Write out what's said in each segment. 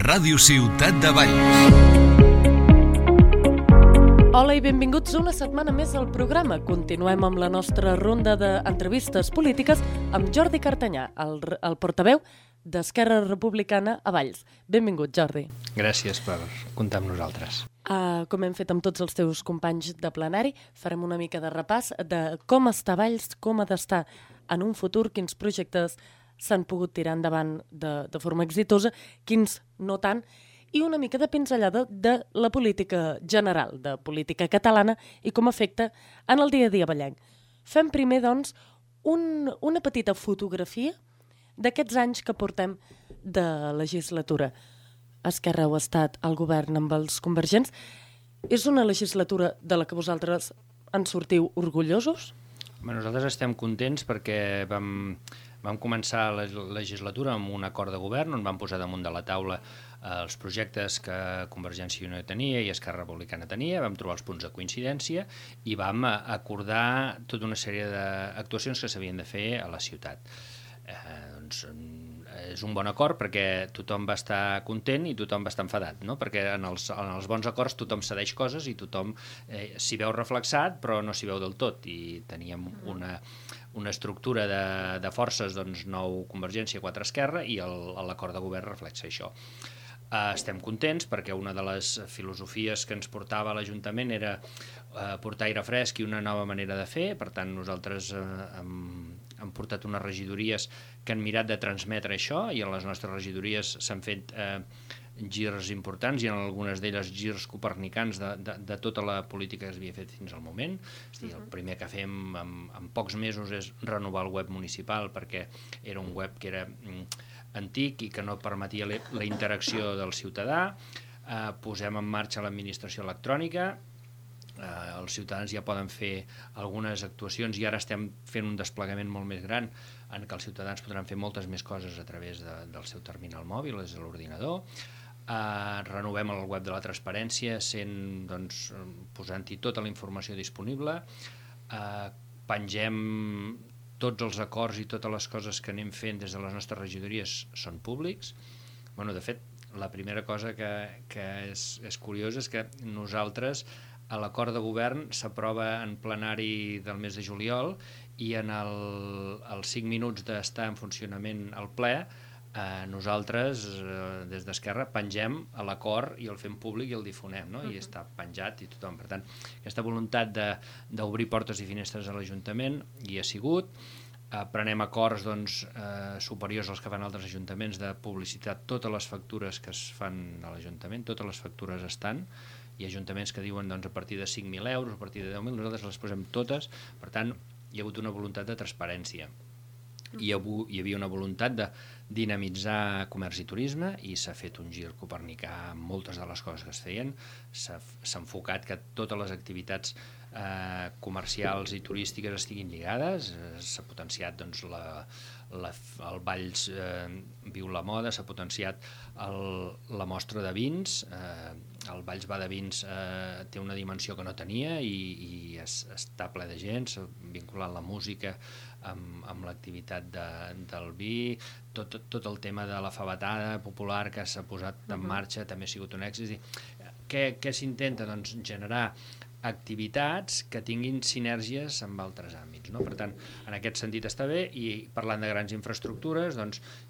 Ràdio Ciutat de Valls. Hola i benvinguts una setmana més al programa. Continuem amb la nostra ronda d'entrevistes polítiques amb Jordi Cartanyà, el portaveu d'Esquerra Republicana a Valls. Benvingut, Jordi. Gràcies per comptar amb nosaltres. Com hem fet amb tots els teus companys de plenari, farem una mica de repàs de com està Valls, com ha d'estar en un futur, quins projectes s'han pogut tirar endavant de forma exitosa, quins no tant, i una mica de pinzellada de la política general, de política catalana i com afecta en el dia a dia vallenc. Fem primer, doncs, una petita fotografia d'aquests anys que portem de legislatura. Esquerra ha estat al govern amb els convergents. És una legislatura de la que vosaltres en sortiu orgullosos? Nosaltres estem contents perquè vam començar la legislatura amb un acord de govern on vam posar damunt de la taula els projectes que Convergència i Unió tenia i Esquerra Republicana tenia, vam trobar els punts de coincidència i vam acordar tota una sèrie d'actuacions que s'havien de fer a la ciutat. És un bon acord perquè tothom va estar content i tothom va estar enfadat, no? Perquè en els bons acords tothom cedeix coses i tothom s'hi veu reflexat però no s'hi veu del tot, i teníem una estructura de forces, doncs 9 Convergència, 4 Esquerra, i l'acord de govern reflexa això. Estem contents perquè una de les filosofies que ens portava a l'Ajuntament era portar aire fresc i una nova manera de fer. Per tant, nosaltres hem portat unes regidories que han mirat de transmetre això, i en les nostres regidories s'han fet girs importants i en algunes d'elles girs copernicans de tota la política que s'havia fet fins al moment. És a dir, el primer que fem en pocs mesos és renovar el web municipal, perquè era un web que era antic i que no permetia la interacció del ciutadà. Posem en marxa l'administració electrònica. Els ciutadans ja poden fer algunes actuacions i ara estem fent un desplegament molt més gran en què els ciutadans podran fer moltes més coses a través del seu terminal mòbil, és l'ordinador. Renovem el web de la transparència posant-hi tota la informació disponible. Pengem tots els acords i totes les coses que anem fent des de les nostres regidories són públics. De fet, la primera cosa que és curiosa és que nosaltres a l'acord de govern s'aprova en plenari del mes de juliol i en els 5 minuts d'estar en funcionament al ple nosaltres des d'Esquerra pengem l'acord i el fem públic i el difonem, no? I està penjat i tothom. Per tant, aquesta voluntat d'obrir portes i finestres a l'Ajuntament hi ha sigut. Prenem acords superiors als que fan altres ajuntaments de publicitat. Totes les factures que es fan a l'Ajuntament, totes les factures estan. Hi ha ajuntaments que diuen a partir de 5.000 euros, a partir de 10.000, nosaltres les posem totes. Per tant, hi ha hagut una voluntat de transparència. Hi havia una voluntat de dinamitzar comerç i turisme i s'ha fet un gir copernicà amb moltes de les coses que es feien. S'ha enfocat que totes les activitats comercials i turístiques estiguin lligades. S'ha potenciat el Valls Viu la Moda, s'ha potenciat la mostra de vins. El Valls Va de Vins té una dimensió que no tenia i està ple de gent. S'ha vinculat la música amb l'activitat del vi. Tot el tema de la favetada popular que s'ha posat en marxa també ha sigut un èxit. Què s'intenta? Generar activitats que tinguin sinergies amb altres àmbits, no? Per tant, en aquest sentit està bé. I parlant de grans infraestructures,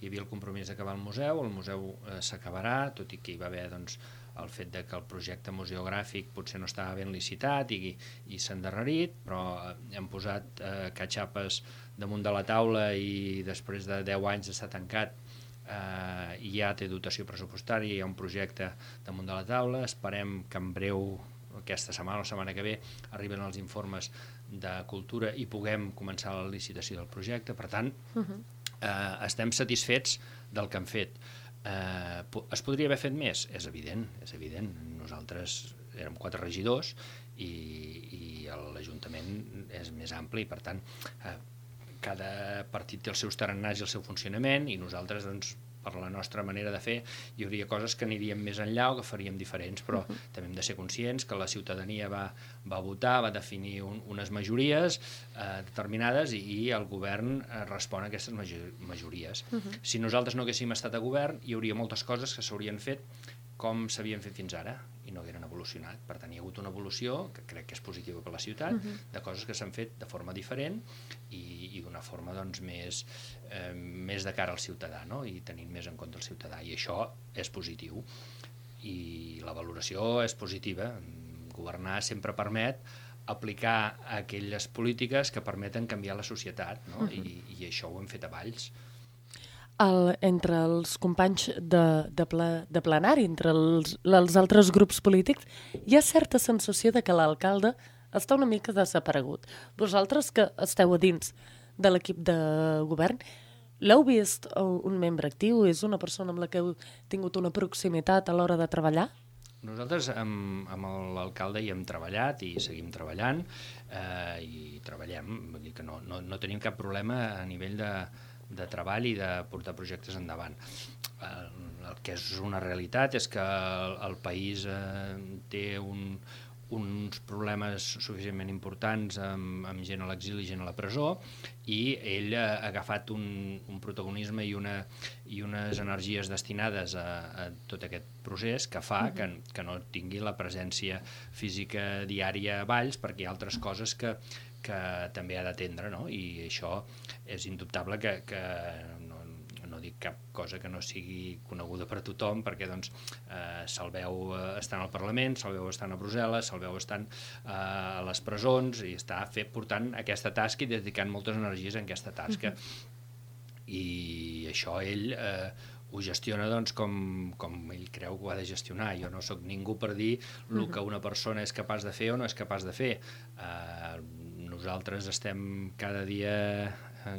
hi havia el compromís d'acabar el museu s'acabarà, tot i que hi va haver el fet que el projecte museogràfic potser no estava ben licitat i s'ha endarrerit, però hem posat catxapes damunt de la taula i després de 10 anys d'estar tancat ja té dotació pressupostària, hi ha un projecte damunt de la taula. Esperem que en breu, aquesta setmana o la setmana que ve, arriben els informes de cultura i puguem començar la licitació del projecte. Per tant, estem satisfets del que hem fet. Es podria haver fet més? És evident. Nosaltres érem 4 regidors i l'Ajuntament és més ampli, per tant, cada partit té els seus tarannats i el seu funcionament, i nosaltres per la nostra manera de fer, hi hauria coses que aniríem més enllà o que faríem diferents, però també hem de ser conscients que la ciutadania va votar, va definir unes majories determinades i el govern respon a aquestes majories. Si nosaltres no haguéssim estat a govern, hi hauria moltes coses que s'haurien fet com s'havien fet fins ara i no hagueren evolucionat. Per tant, hi ha hagut una evolució, que crec que és positiva per la ciutat, de coses que s'han fet de forma diferent i d'una forma doncs, més de cara al ciutadà, no? I tenint més en compte el ciutadà. I això és positiu. I la valoració és positiva. Governar sempre permet aplicar aquelles polítiques que permeten canviar la societat, no? I això ho hem fet a Valls. Entre els companys de plenari, entre els altres grups polítics, hi ha certa sensació de que l'alcalde està una mica desaparegut. Vosaltres que esteu a dins de l'equip de govern, l'heu vist un membre actiu? És una persona amb la que heu tingut una proximitat a l'hora de treballar? Nosaltres amb l'alcalde hi hem treballat i seguim treballant i treballem, vull dir que no tenim cap problema a nivell de treball i de portar projectes endavant. El que és una realitat és que el país té uns problemes suficientment importants amb gent a l'exili i gent a la presó i ell ha agafat un protagonisme i unes energies destinades a tot aquest procés que fa que no tingui la presència física diària a Valls perquè hi ha altres coses que també ha d'atendre, no? I això és indubtable que no dic cap cosa que no sigui coneguda per tothom perquè doncs, se'l veu estant al Parlament, se'l veu estant a Brussel·les, se'l veu estant a les presons i està portant aquesta tasca i dedicant moltes energies en aquesta tasca. I això ell ho gestiona doncs, com ell creu que ho ha de gestionar. Jo no sóc ningú per dir el que una persona és capaç de fer o no és capaç de fer. Nosaltres estem cada dia,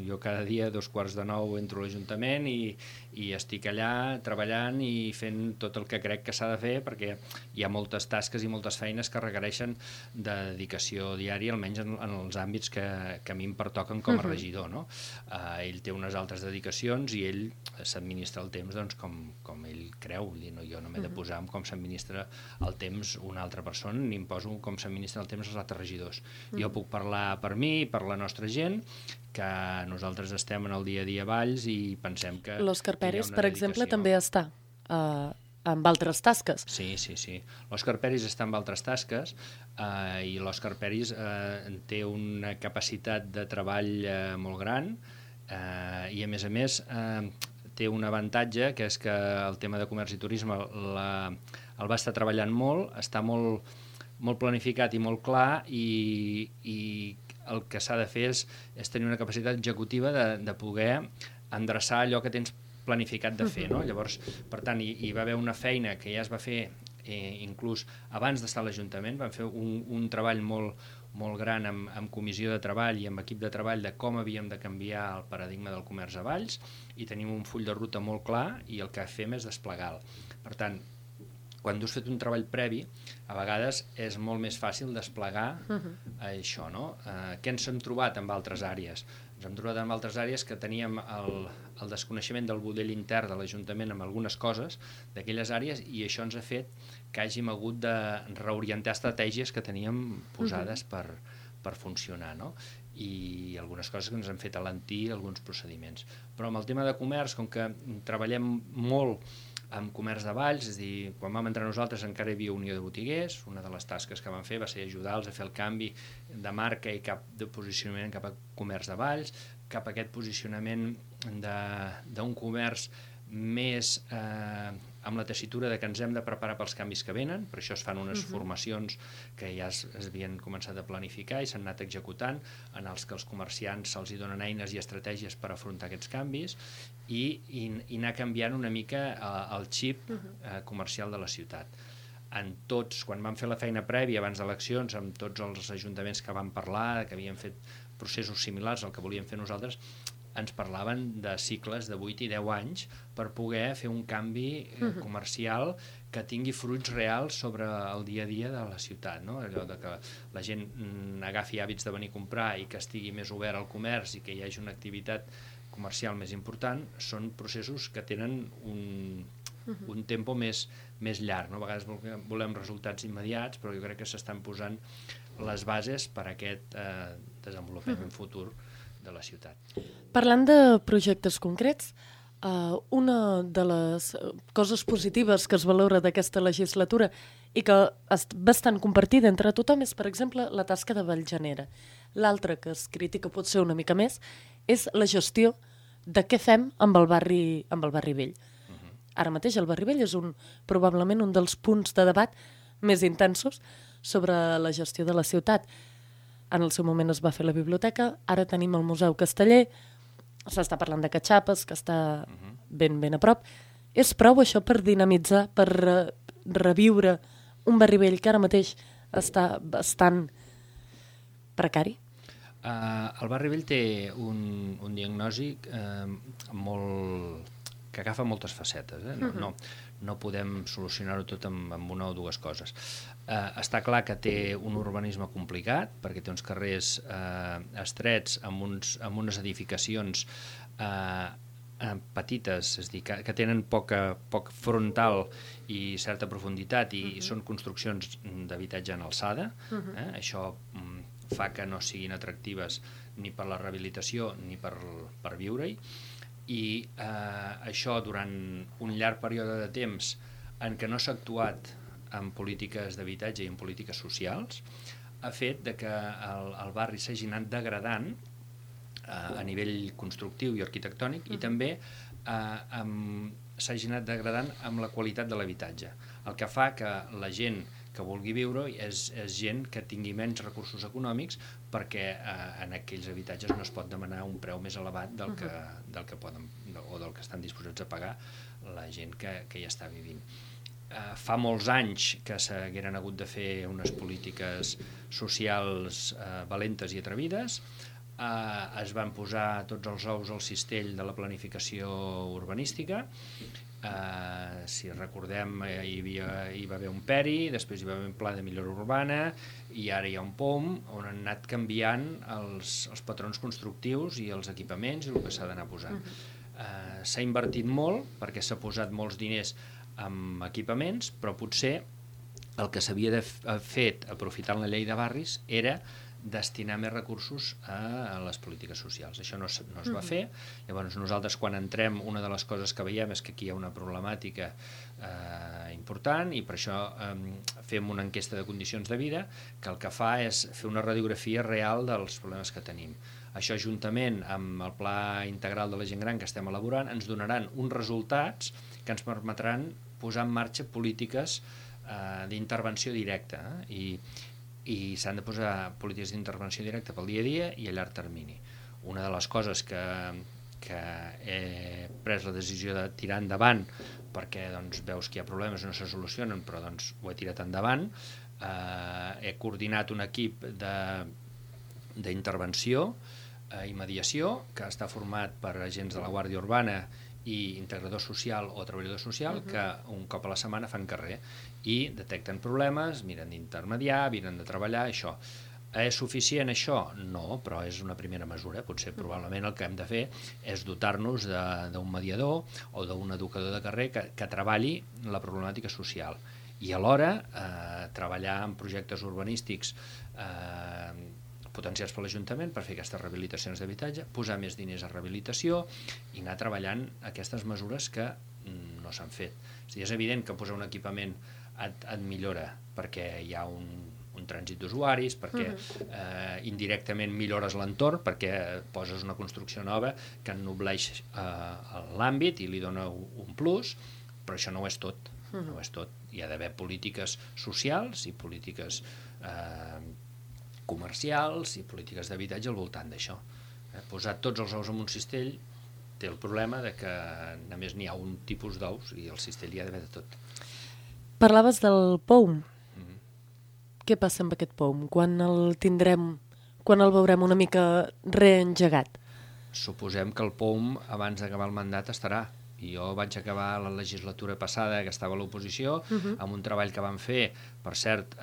jo cada dia a 8:45 entro a l'Ajuntament i estic allà treballant i fent tot el que crec que s'ha de fer perquè hi ha moltes tasques i moltes feines que requereixen de dedicació diària, almenys en els àmbits que a mi em pertoquen com a regidor. No? Ell té unes altres dedicacions i ell s'administra el temps doncs, com ell creu. Jo no m'he de posar en com s'administra el temps una altra persona ni em poso com s'administra el temps els altres regidors. Jo puc parlar per mi, per la nostra gent, que nosaltres estem en el dia a dia a Valls i pensem que l'Òscar Peris, per exemple, també està amb altres tasques. Sí. L'Òscar Peris està amb altres tasques i l'Òscar Peris té una capacitat de treball molt gran i, a més, té un avantatge, que és que el tema de comerç i turisme el va estar treballant molt, està molt planificat i molt clar i el que s'ha de fer és tenir una capacitat executiva de poder endreçar allò que tens planificat de fer. No? Llavors, per tant, hi va haver una feina que ja es va fer inclús abans d'estar a l'Ajuntament, vam fer un treball molt gran amb comissió de treball i amb equip de treball de com havíem de canviar el paradigma del comerç a Valls i tenim un full de ruta molt clar i el que fem és desplegar-lo. Per tant, quan tu has fet un treball previ, a vegades és molt més fàcil desplegar això, no? Què ens hem trobat amb altres àrees? Ens hem trobat amb altres àrees que teníem el desconeixement del budell intern de l'Ajuntament amb algunes coses d'aquelles àrees i això ens ha fet que hàgim hagut de reorientar estratègies que teníem posades per funcionar, no? I algunes coses que ens han fet alentir alguns procediments. Però amb el tema de comerç, com que treballem molt amb comerç de Valls, és a dir, quan vam entrar nosaltres encara hi havia Unió de Botiguers, una de les tasques que van fer va ser ajudar-los a fer el canvi de marca i cap de posicionament cap a comerç de Valls, cap a aquest posicionament d'un comerç més amb la tessitura de que ens hem de preparar pels canvis que venen, per això es fan unes formacions que ja es havien començat a planificar i s'han anat executant, en els que els comerciants se'ls donen eines i estratègies per afrontar aquests canvis i anar canviant una mica el xip comercial de la ciutat. Quan vam fer la feina prèvia abans d'eleccions amb tots els ajuntaments que vam parlar, que havien fet processos similars al que volíem fer nosaltres, ens parlaven de cicles de 8 i 10 anys per poder fer un canvi comercial que tingui fruits reals sobre el dia a dia de la ciutat, no? Allò de que la gent agafi hàbits de venir a comprar i que estigui més obert al comerç i que hi hagi una activitat comercial més important són processos que tenen un tempo més llarg, no? A vegades volem resultats immediats, però jo crec que s'estan posant les bases per a aquest desenvolupament futur de la ciutat. Parlant de projectes concrets, una de les coses positives que es valora d'aquesta legislatura i que és bastant compartida entre tothom és, per exemple, la tasca de Vallgenera. L'altra que es critica potser una mica més és la gestió de què fem amb el barri vell. Ara mateix el barri vell és probablement un dels punts de debat més intensos sobre la gestió de la ciutat. En el seu moment es va fer la biblioteca, ara tenim el Museu Casteller, s'està parlant de Catxapes, que està ben a prop. És prou això per dinamitzar, per reviure un barri vell que ara mateix està bastant precari? El barri vell té un diagnòstic que agafa moltes facetes. No podem solucionar-ho tot amb una o dues coses. Està clar que té un urbanisme complicat, perquè té uns carrers estrets amb unes edificacions petites, és a dir, que tenen poc frontal i certa profunditat i són construccions d'habitatge en alçada. Això fa que no siguin atractives ni per la rehabilitació ni per viure-hi. I això durant un llarg període de temps en què no s'ha actuat en polítiques d'habitatge i en polítiques socials ha fet que el barri s'hagi anat degradant a nivell constructiu i arquitectònic i també s'hagi anat degradant amb la qualitat de l'habitatge, el que fa que la gent que vulgui viure és gent que tingui menys recursos econòmics perquè en aquells habitatges no es pot demanar un preu més elevat del que poden o del que estan disposats a pagar la gent que hi està vivint. Fa molts anys que s'hagueren hagut de fer unes polítiques socials valentes i atrevides. Es van posar tots els ous al cistell de la planificació urbanística. Si recordem, hi va haver un PERI, després hi va haver un pla de millora urbana i ara hi ha un POM on han anat canviant els patrons constructius i els equipaments i el que s'ha d'anar posant. S'ha invertit molt perquè s'ha posat molts diners en equipaments, però potser el que s'havia fet aprofitant la llei de barris era destinar més recursos a les polítiques socials. Això no es va fer. Llavors nosaltres quan entrem una de les coses que veiem és que aquí hi ha una problemàtica important i per això fem una enquesta de condicions de vida que el que fa és fer una radiografia real dels problemes que tenim. Això juntament amb el pla integral de la gent gran que estem elaborant ens donaran uns resultats que ens permetran posar en marxa polítiques d'intervenció directa i s'han de posar polítiques d'intervenció directa pel dia a dia i a llarg termini. Una de les coses que he pres la decisió de tirar endavant perquè veus que hi ha problemes i no se solucionen, però ho he tirat endavant. He coordinat un equip d'intervenció i mediació que està format per agents de la Guàrdia Urbana i integrador social o treballador social que un cop a la setmana fan carrer i detecten problemes, miren d'intermediar, miren de treballar, això. És suficient això? No, però és una primera mesura. Potser probablement el que hem de fer és dotar-nos d'un mediador o d'un educador de carrer que treballi la problemàtica social i alhora treballar en projectes urbanístics potenciats per l'Ajuntament per fer aquestes rehabilitacions d'habitatge, posar més diners a rehabilitació i anar treballant aquestes mesures que no s'han fet. És evident que posar un equipament et millora perquè hi ha un trànsit d'usuaris, perquè indirectament millores l'entorn, perquè poses una construcció nova que ennobleix l'àmbit i li dona un plus, però això no ho és tot. No ho és tot. Hi ha d'haver polítiques socials i polítiques comercials i polítiques d'habitatge al voltant d'això. Posar tots els ous en un cistell té el problema que només n'hi ha un tipus d'ous i el cistell hi ha d'haver de tot. Parlaves del POUM. Què passa amb aquest POUM? Quan el tindrem, quan el veurem una mica reengegat? Suposem que el POUM abans d'acabar el mandat estarà, Jo vaig acabar la legislatura passada, que estava a l'oposició, amb un treball que vam fer, per cert,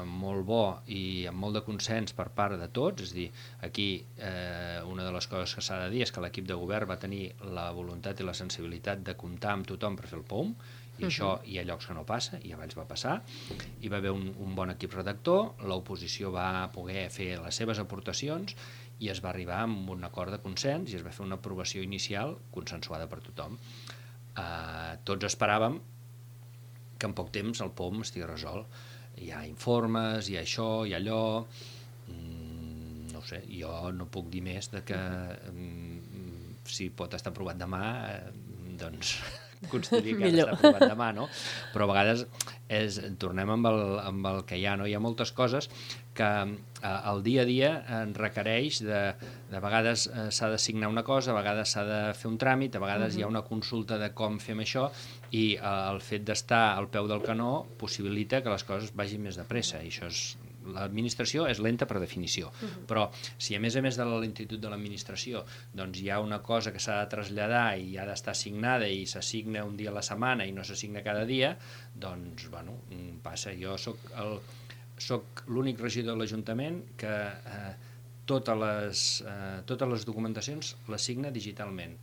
molt bo i amb molt de consens per part de tots. És a dir, aquí una de les coses que s'ha de dir és que l'equip de govern va tenir la voluntat i la sensibilitat de comptar amb tothom per fer el POUM, i això hi ha llocs que no passa, i abans va passar. Hi va haver un bon equip redactor, l'oposició va poder fer les seves aportacions i es va arribar a un acord de consens i es va fer una aprovació inicial consensuada per tothom. Tots esperàvem que en poc temps el POM estigui resolt. Hi ha informes, hi ha això, hi ha allò... No ho sé, jo no puc dir més de que si pot estar aprovat demà, doncs consideri que ha d'estar aprovat demà, no? Però a vegades tornem amb el que hi ha, no? Hi ha moltes coses que el dia a dia requereix de vegades s'ha de signar una cosa, a vegades s'ha de fer un tràmit, a vegades hi ha una consulta de com fem això, i el fet d'estar al peu del canó possibilita que les coses vagin més de pressa, i això és... L'administració és lenta per definició, però si a més de la lentitud de l'administració doncs hi ha una cosa que s'ha de traslladar i ha d'estar signada i s'assigna un dia a la setmana i no s'assigna cada dia, doncs, bueno, passa. Jo soc l'únic regidor de l'Ajuntament que totes les documentacions les signa digitalment,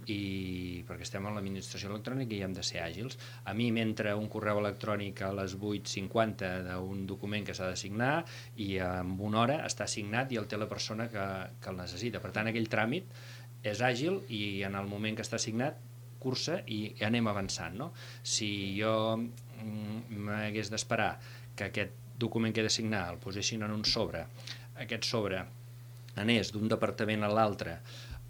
i perquè estem en l'administració electrònica i hem de ser àgils. A mi m'entra un correu electrònic a les 8:50 d'un document que s'ha de signar i en una hora està signat i el té la persona que el necessita. Per tant, aquell tràmit és àgil i en el moment que està signat cursa i anem avançant, no? Si jo m'hagués d'esperar que aquest document que he de signar el posessin en un sobre, aquest sobre anés d'un departament a l'altre,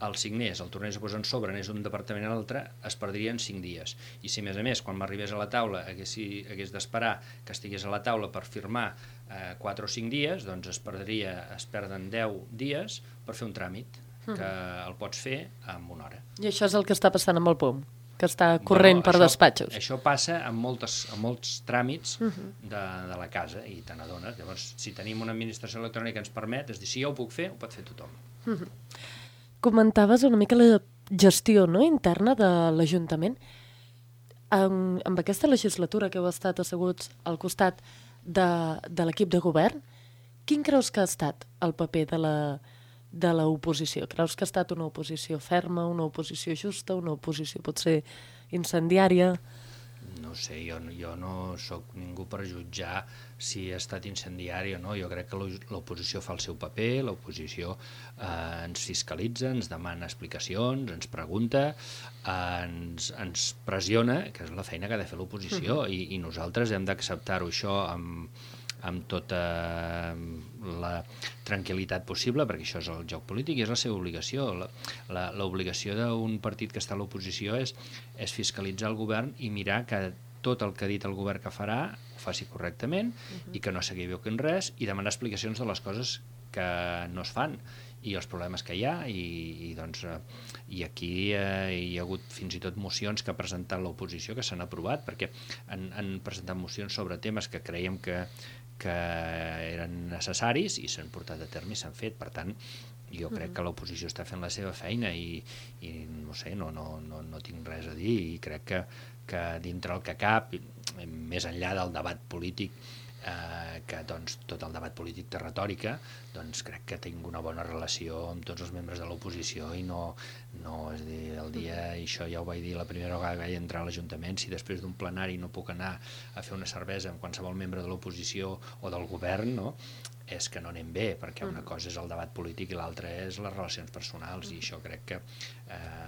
el signés, el tornés a posar en sobre, anés d'un departament a l'altre, es perdrien 5 dies. I si, a més, quan m'arribés a la taula hagués d'esperar que estigués a la taula per firmar 4 o 5 dies, doncs es perden 10 dies per fer un tràmit, que el pots fer en una hora. I això és el que està passant amb el POM, que està corrent per despatxos. Això passa amb molts tràmits de la casa, i te n'adones. Llavors, si tenim una administració electrònica que ens permet, és dir, si jo ho puc fer, ho pot fer tothom. Comentaves una mica la gestió, no?, interna de l'Ajuntament. Amb aquesta legislatura que heu estat asseguts al costat de l'equip de govern, quin creus que ha estat el paper de l'oposició? Creus que ha estat una oposició ferma, una oposició justa, una oposició potser incendiària? No sé, jo no sóc ningú per jutjar si ha estat incendiari o no. Jo crec que l'oposició fa el seu paper, l'oposició ens fiscalitza, ens demana explicacions, ens pregunta, ens pressiona, que és la feina que ha de fer l'oposició, i nosaltres hem d'acceptar-ho això amb tota la tranquil·litat possible, perquè això és el joc polític i és la seva obligació. L'obligació d'un partit que està a l'oposició és fiscalitzar el govern i mirar que tot el que ha dit el govern que farà ho faci correctament i que no s'equivoqui en res, i demanar explicacions de les coses que no es fan i els problemes que hi ha, i aquí hi ha hagut fins i tot mocions que ha presentat l'oposició que s'han aprovat, perquè han presentat mocions sobre temes que creiem que eren necessaris i s'han portat a terme i s'han fet. Per tant, jo crec que l'oposició està fent la seva feina i no sé, no tinc res a dir, i crec que dintre el que cap, més enllà del debat polític, que doncs, tot el debat polític té retòrica, doncs crec que tinc una bona relació amb tots els membres de l'oposició i no és a dir, el dia, i això ja ho vaig dir la primera vegada que vaig entrar a l'Ajuntament, si després d'un plenari no puc anar a fer una cervesa amb qualsevol membre de l'oposició o del govern, no? És que no anem bé, perquè una cosa és el debat polític i l'altra és les relacions personals, i això crec que,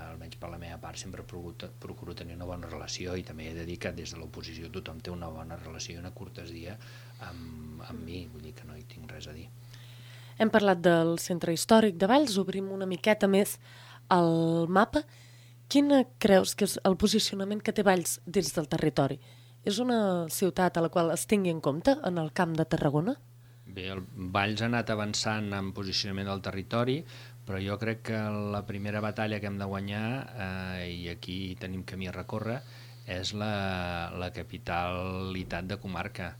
almenys per la meva part, sempre procuro tenir una bona relació, i també he de dir que des de l'oposició tothom té una bona relació i una cortesia amb mi, vull dir que no hi tinc res a dir. Hem parlat del centre històric de Valls, obrim una miqueta més el mapa. Quin creus que és el posicionament que té Valls dins del territori? És una ciutat a la qual es tingui en compte en el Camp de Tarragona? Bé, el Valls ha anat avançant en posicionament del territori, però jo crec que la primera batalla que hem de guanyar, i aquí tenim camí a recórrer, és la capitalitat de comarca.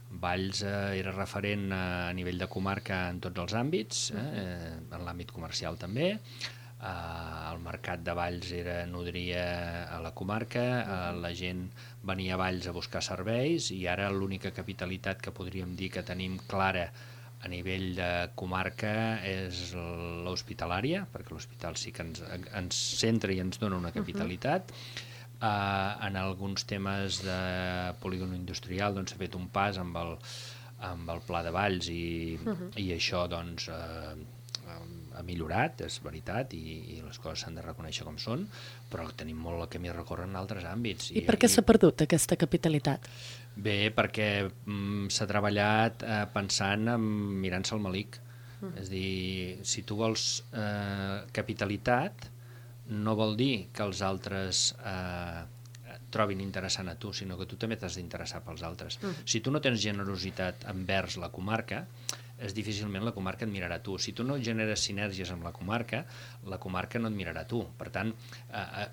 Valls era referent a nivell de comarca en tots els àmbits, en l'àmbit comercial també, el mercat de Valls nodria a la comarca, la gent venia a Valls a buscar serveis i ara l'única capitalitat que podríem dir que tenim clara a nivell de comarca és l'hospitalària, perquè l'hospital sí que ens centra i ens dona una capitalitat. En alguns temes de polígon industrial doncs, s'ha fet un pas amb el Pla de Valls i això doncs, ha millorat, és veritat, i les coses s'han de reconèixer com són, però tenim molt el camí a recórrer en altres àmbits. I per què s'ha perdut aquesta capitalitat? Bé, perquè s'ha treballat pensant en mirant-se el malic. És a dir, si tu vols capitalitat, no vol dir que els altres trobin interessant a tu, sinó que tu també t'has d'interessar pels altres. Si tu no tens generositat envers la comarca, difícilment la comarca et mirarà a tu. Si tu no generes sinergies amb la comarca no et mirarà a tu. Per tant,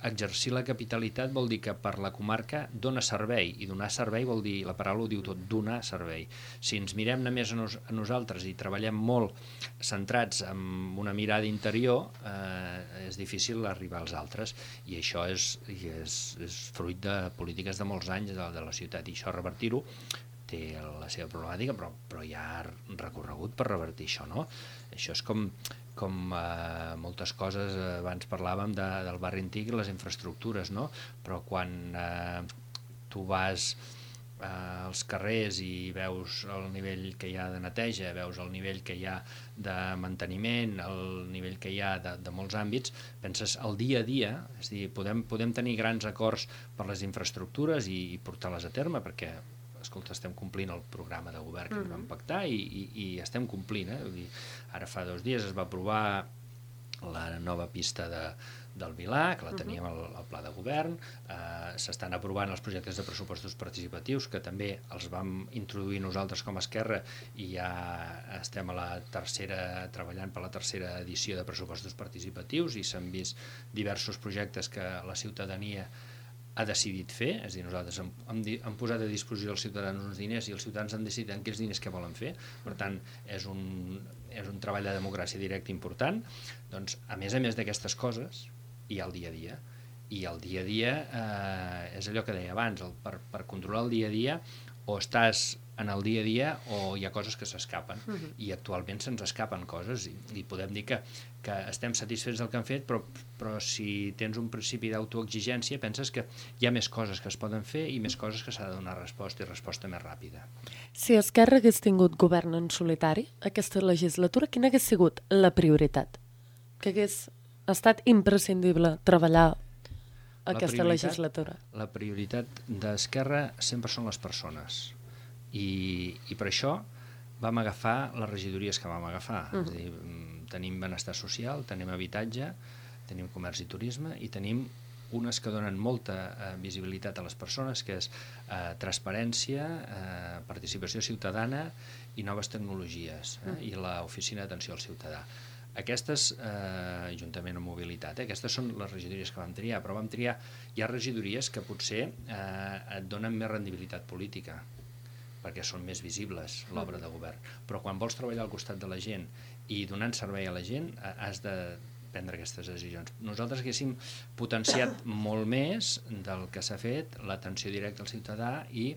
exercir la capitalitat vol dir que per la comarca dona servei, i donar servei vol dir, la paraula ho diu tot, donar servei. Si ens mirem només a nosaltres i treballem molt centrats en una mirada interior, és difícil arribar als altres, i això és fruit de polítiques de molts anys de la ciutat, i això revertir-ho té la seva problemàtica, però hi ha recorregut per revertir això, no? Això és com moltes coses, abans parlàvem del barri antic i les infraestructures, no? Però quan tu vas als carrers i veus el nivell que hi ha de neteja, veus el nivell que hi ha de manteniment, el nivell que hi ha de molts àmbits, penses el dia a dia, és a dir, podem tenir grans acords per les infraestructures i portar-les a terme, perquè escolta, estem complint el programa de govern que vam pactar i estem complint. Vull dir, ara fa 2 dies es va aprovar la nova pista del Vilà, que la teníem al pla de govern, s'estan aprovant els projectes de pressupostos participatius, que també els vam introduir nosaltres com a Esquerra, i ja estem treballant per la tercera edició de pressupostos participatius, i s'han vist diversos projectes que la ciutadania ha decidit fer, és a dir, nosaltres hem posat a disposició dels ciutadans uns diners i els ciutadans han decidit en quins diners què volen fer. Per tant, és un treball de democràcia directa important. Doncs, a més d'aquestes coses, hi ha el dia a dia. I el dia a dia és allò que deia abans, per controlar el dia a dia, o estàs en el dia a dia o hi ha coses que s'escapen, i actualment se'ns escapen coses, i podem dir que estem satisfets del que han fet, però si tens un principi d'autoexigència penses que hi ha més coses que es poden fer i més coses que s'ha de donar resposta, i resposta més ràpida. Si Esquerra hagués tingut govern en solitari aquesta legislatura, quina hagués sigut la prioritat? Que hagués estat imprescindible treballar aquesta legislatura? La prioritat d'Esquerra sempre són les persones, i per això vam agafar les regidories que vam agafar. És a dir, tenim benestar social, tenim habitatge, tenim comerç i turisme, i tenim unes que donen molta visibilitat a les persones, que és transparència, participació ciutadana i noves tecnologies, i l'oficina d'atenció al ciutadà. Aquestes, juntament amb mobilitat, aquestes són les regidories que vam triar, però hi ha regidories que potser et donen més rendibilitat política, perquè són més visibles l'obra de govern. Però quan vols treballar al costat de la gent i donant servei a la gent, has de prendre aquestes decisions. Nosaltres haguéssim potenciat molt més del que s'ha fet l'atenció directa al ciutadà i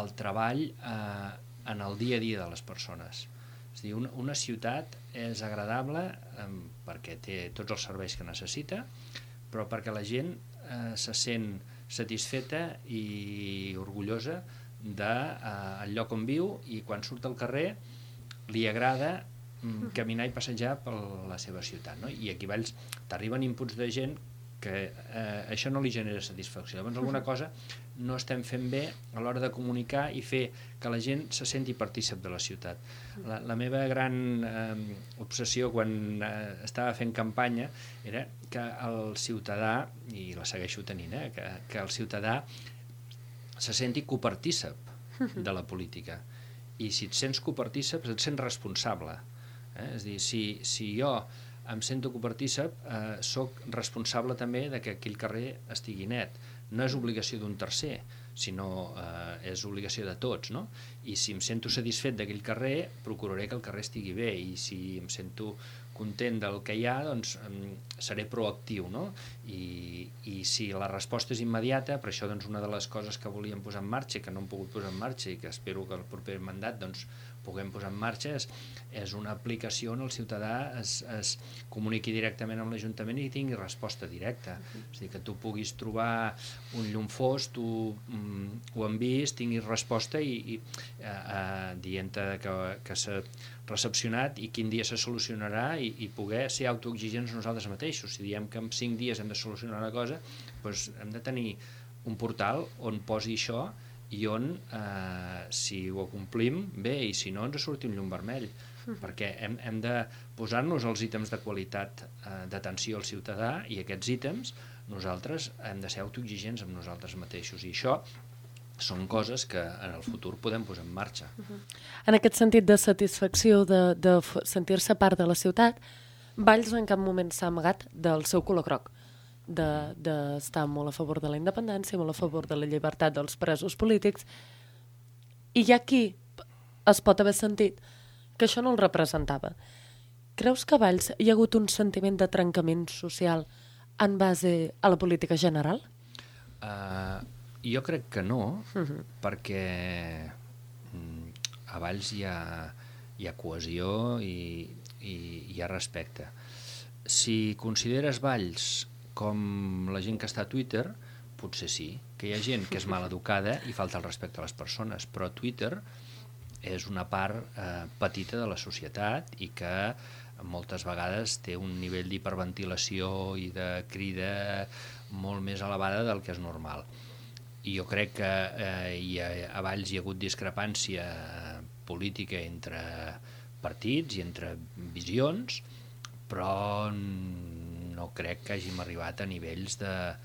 el treball en el dia a dia de les persones. És a dir, una ciutat és agradable perquè té tots els serveis que necessita, però perquè la gent se sent satisfeta i orgullosa del lloc on viu, i quan surt al carrer li agrada caminar i passejar per la seva ciutat, no? I aquí a Valls t'arriben inputs de gent que això no li genera satisfacció. Llavors alguna cosa no estem fent bé a l'hora de comunicar i fer que la gent se senti partícip de la ciutat. La meva gran obsessió quan estava fent campanya era que el ciutadà, i la segueixo tenint, que el ciutadà se senti copartícip de la política, i si et sents copartícip et sents responsable. És a dir, si jo em sento copartícip, soc responsable també de que aquell carrer estigui net. No és obligació d'un tercer, sinó és obligació de tots, no? I si em sento satisfet d'aquell carrer, procuraré que el carrer estigui bé, i si em sento content del que hi ha, doncs seré proactiu, no? I si la resposta és immediata, per això doncs, una de les coses que volíem posar en marxa i que no hem pogut posar en marxa i que espero que el proper mandat doncs, puguem posar en marxa és una aplicació on el ciutadà es comuniqui directament amb l'Ajuntament i tingui resposta directa. És a dir, que tu puguis trobar un llum fos, tu ho enviïs, tinguis resposta i dient-te que s'ha recepcionat i quin dia se solucionarà i poder ser autoexigents nosaltres mateixos. Si diem que en 5 dies hem de solucionar una cosa, doncs hem de tenir un portal on posi això i on, si ho complim, bé, i si no, ens surti un llum vermell, perquè hem de posar-nos els ítems de qualitat d'atenció al ciutadà i aquests ítems nosaltres hem de ser autoexigents amb nosaltres mateixos i això són coses que en el futur podem posar en marxa. En aquest sentit de satisfacció, de sentir-se part de la ciutat, Valls en cap moment s'ha amagat del seu color groc, d'estar molt a favor de la independència, molt a favor de la llibertat dels presos polítics, i hi ha qui es pot haver sentit que això no el representava. Creus que a Valls hi ha hagut un sentiment de trencament social en base a la política general? Jo crec que no, perquè a Valls hi ha cohesió i hi ha respecte. Si consideres Valls com la gent que està a Twitter, potser sí, que hi ha gent que és mal educada i falta el respecte a les persones, però Twitter és una part petita de la societat i que moltes vegades té un nivell d'hiperventilació i de crida molt més elevada del que és normal. I jo crec que a Valls hi ha hagut discrepància política entre partits i entre visions, però no crec que hàgim arribat a nivells de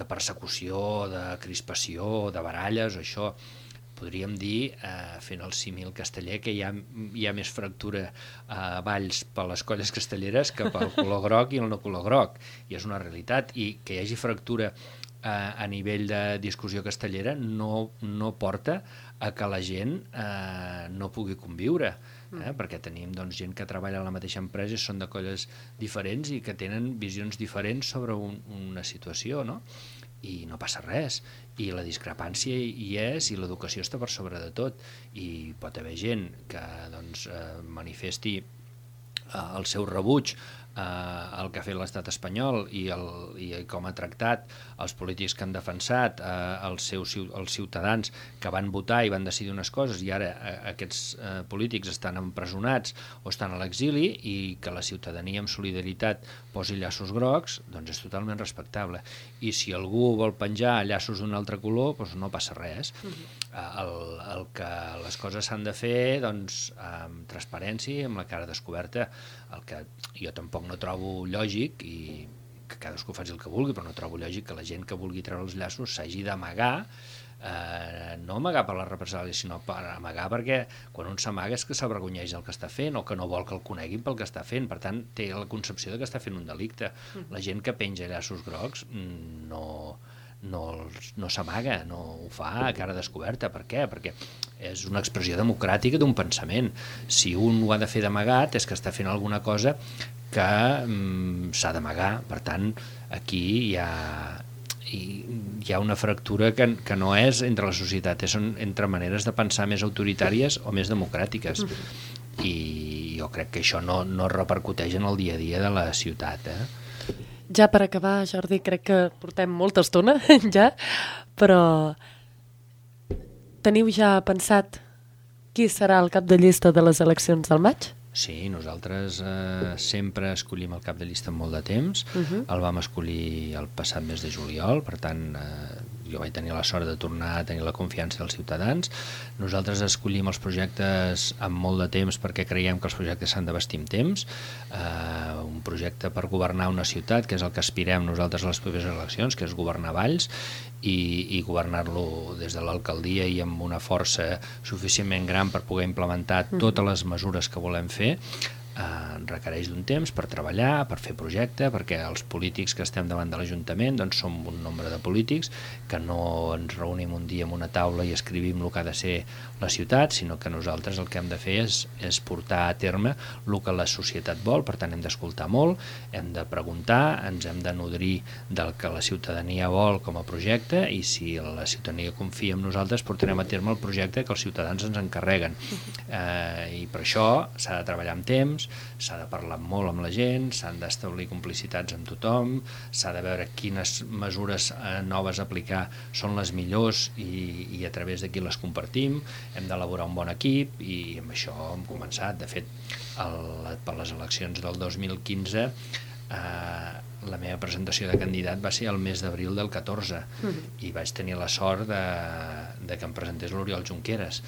persecució, de crispació, de baralles, o això. Podríem dir, fent el símil casteller, que hi ha més fractura a Valls per les colles castelleres que pel color groc i el no color groc. I és una realitat. I que hi hagi fractura a nivell de discussió castellera no porta a que la gent no pugui conviure. Perquè tenim gent que treballa a la mateixa empresa i són de colles diferents i que tenen visions diferents sobre una situació, no? I no passa res, i la discrepància hi és i l'educació està per sobre de tot, i pot haver gent que manifesti el seu rebuig el que ha fet l'estat espanyol i com ha tractat els polítics que han defensat els ciutadans que van votar i van decidir unes coses i ara aquests polítics estan empresonats o estan a l'exili i que la ciutadania amb solidaritat posi llaços grocs, doncs és totalment respectable. I si algú vol penjar llaços d'un altre color, doncs no passa res. El que les coses s'han de fer amb transparència i amb la cara descoberta, el que jo tampoc no trobo lògic, i que cadascú faci el que vulgui, però no trobo lògic que la gent que vulgui treure els llaços s'hagi d'amagar, no amagar per la represàlia, sinó per amagar perquè quan un s'amaga és que s'avergonyeix del que està fent o que no vol que el coneguin pel que està fent, per tant té la concepció de que està fent un delicte. La gent que penja llaços grocs no s'amaga, no ho fa a cara descoberta. Per què? Perquè és una expressió democràtica d'un pensament. Si un ho ha de fer d'amagat és que està fent alguna cosa que s'ha d'amagar. Per tant, aquí hi ha una fractura que no és entre la societat, són entre maneres de pensar més autoritàries o més democràtiques. I jo crec que això no repercuteix en el dia a dia de la ciutat. Ja per acabar, Jordi, crec que portem molta estona ja, però teniu ja pensat qui serà el cap de llista de les eleccions del maig? Sí, nosaltres sempre escollim el cap de llista amb molt de temps. El vam escollir el passat mes de juliol, per tant jo vaig tenir la sort de tornar a tenir la confiança dels ciutadans. Nosaltres escollim els projectes amb molt de temps perquè creiem que els projectes s'han de vestir amb temps. Un projecte per governar una ciutat, que és el que aspirem nosaltres a les properes eleccions, que és governar Valls, i governar-lo des de l'alcaldia i amb una força suficientment gran per poder implementar totes les mesures que volem fer. requereix d'un temps per treballar, per fer projecte, perquè els polítics que estem davant de l'Ajuntament doncs som un nombre de polítics que no ens reunim un dia en una taula i escrivim el que ha de ser la ciutat, sinó que nosaltres el que hem de fer és portar a terme el que la societat vol. Per tant hem d'escoltar molt, hem de preguntar, ens hem de nodrir del que la ciutadania vol com a projecte, i si la ciutadania confia en nosaltres portarem a terme el projecte que els ciutadans ens encarreguen. I per això s'ha de treballar amb temps, s'ha de parlar molt amb la gent, s'han d'establir complicitats amb tothom, s'ha de veure quines mesures noves a aplicar són les millors i a través d'aquí les compartim. Hem d'elaborar un bon equip i amb això hem començat. De fet, per les eleccions del 2015 la meva presentació de candidat va ser el mes d'abril del 14 i vaig tenir la sort de que em presentés l'Oriol Junqueras.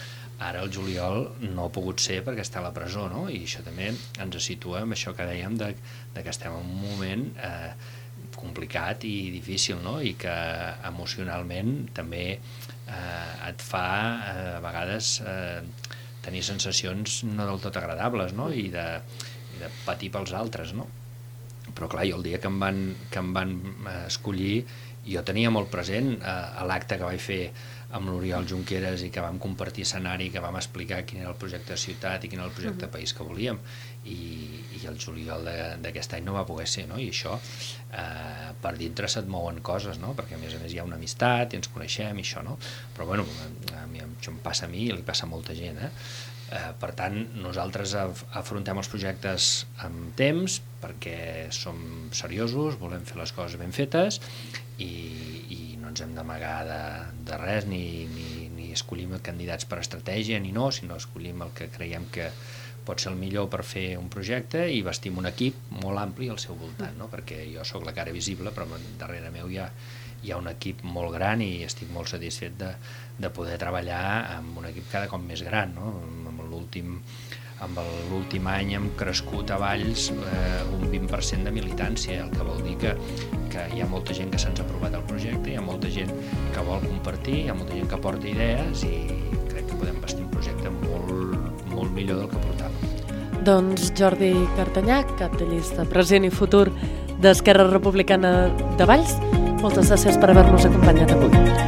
Ara el juliol no ha pogut ser perquè està a la presó, no? I això també ens situa amb això que dèiem de que estem en un moment complicat i difícil, no? I que emocionalment també et fa a vegades tenir sensacions no del tot agradables, no? I de patir pels altres, no? Però clar, jo el dia que em van escollir, jo tenia molt present a l'acte que vaig fer amb l'Oriol Junqueras i que vam compartir escenari, que vam explicar quin era el projecte de ciutat i quin era el projecte de país que volíem, i el juliol d'aquest any no va poder ser, no? I això per dintre se't mouen coses, no? Perquè a més hi ha una amistat i ens coneixem i això, no? Però bueno, això em passa a mi i li passa a molta gent, per tant, nosaltres afrontem els projectes amb temps perquè som seriosos, volem fer les coses ben fetes i no ens hem d'amagar de res, ni escollim candidats per estratègia ni no, sinó escollim el que creiem que pot ser el millor per fer un projecte i vestim un equip molt ampli al seu voltant, no? Perquè jo sóc la cara visible, però darrere meu hi ha un equip molt gran i estic molt satisfet de poder treballar amb un equip cada cop més gran, no? Amb l'últim any hem crescut a Valls un 20% de militància, el que vol dir que hi ha molta gent que se'ns ha aprovat el projecte, hi ha molta gent que vol compartir, hi ha molta gent que porta idees i crec que podem vestir un projecte molt, molt millor del que portàvem. Doncs Jordi Cartanyà, cap de llista present i futur d'Esquerra Republicana de Valls, moltes gràcies per haver-nos acompanyat avui.